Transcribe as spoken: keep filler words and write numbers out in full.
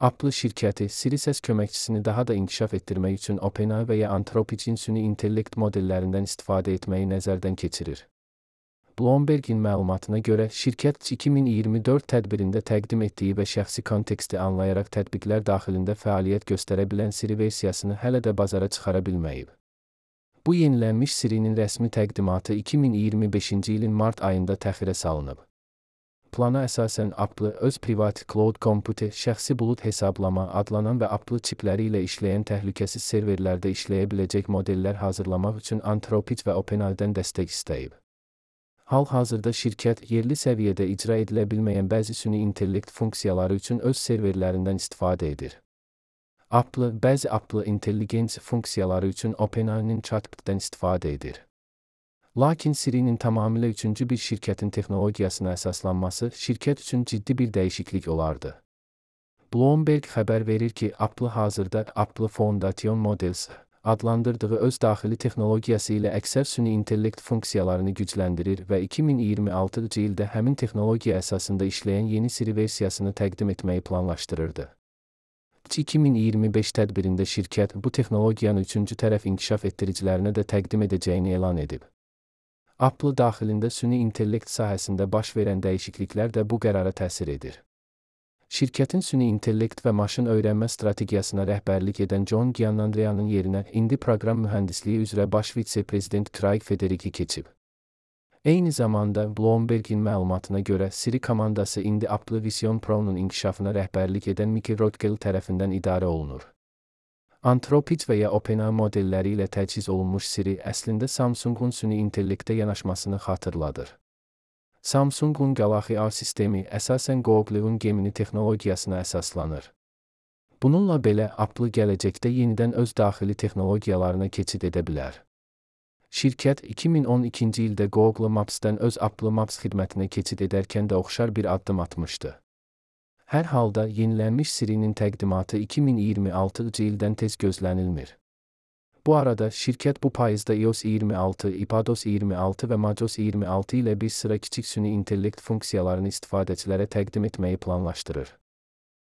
Apple şirkəti Siri səs köməkçisini daha da inkişaf etdirmək üçün OpenAI və ya Anthropic'in süni intellekt modellərindən istifadə etməyi nəzərdən keçirir. Bloomberg'in məlumatına görə, şirkət iki min iyirmi dörd tədbirində təqdim etdiyi və şəxsi konteksti anlayaraq tətbiqlər daxilində fəaliyyət göstərə bilən Siri versiyasını hələ də bazara çıxara bilməyib. Bu yenilənmiş Siri'nin rəsmi təqdimatı iki min iyirmi beşinci ilin mart ayında təxirə salınıb. Plana əsasən Apple öz privat cloud computer, şəxsi bulud hesablama adlanan və Apple çipləri ilə işləyən təhlükəsiz serverlərdə işləyə biləcək modellər hazırlamaq üçün Anthropic və OpenAI-dən dəstək istəyib. Hal-hazırda şirkət yerli səviyyədə icra edilə bilməyən bəzi süni intellekt funksiyaları üçün öz serverlərindən istifadə edir. Apple, bəzi Apple Intelligence funksiyaları üçün OpenAI-nin chatbot'dan istifadə edir. Lakin Siri'nin tamamilə üçüncü bir şirkətin texnologiyasına əsaslanması şirkət üçün ciddi bir dəyişiklik olardı. Bloomberg xəbər verir ki, Apple hazırda Apple Foundation Models adlandırdığı öz daxili texnologiyası ilə əksər süni intellekt funksiyalarını gücləndirir və iki min iyirmi altıncı ildə həmin texnologiya əsasında işləyən yeni Siri versiyasını təqdim etməyi planlaşdırırdı. iki min iyirmi beş tədbirində şirkət bu texnologiyanı üçüncü tərəf inkişaf etdiricilərinə də təqdim edəcəyini elan edib. Apple daxilində süni intellekt sahəsində baş verən dəyişikliklər də bu qərara təsir edir. Şirkətin süni intellekt və maşın öyrənmə strategiyasına rəhbərlik edən John Giannandrea'nın yerinə indi proqram mühəndisliyi üzrə baş vitse-prezident Craig Federighi keçib. Eyni zamanda Bloomberg'in məlumatına görə Siri komandası indi Apple Vision Pro'nun inkişafına rəhbərlik edən Mickey Rothgel tərəfindən idarə olunur. Anthropic və ya OpenAI modelləri ilə təchiz olunmuş Siri əslində Samsung'un süni intellektə yanaşmasını xatırladır. Samsung'un Galaxy A sistemi əsasən Google'un Gemini texnologiyasına əsaslanır. Bununla belə Apple gələcəkdə yenidən öz daxili texnologiyalarına keçid edə bilər. Şirkət iki min on ikinci ildə Google Maps'dən öz Apple Maps xidmətinə keçid edərkən də oxşar bir addım atmışdı. Hər halda yenilənmiş Siri'nin təqdimatı iki min iyirmi altıncı ildən tez gözlənilmir. Bu arada şirkət bu payızda iOS iyirmi altı, iPadOS iyirmi altı və macOS iyirmi altı ilə bir sıra kiçik süni intellekt funksiyalarını istifadəçilərə təqdim etməyi planlaşdırır.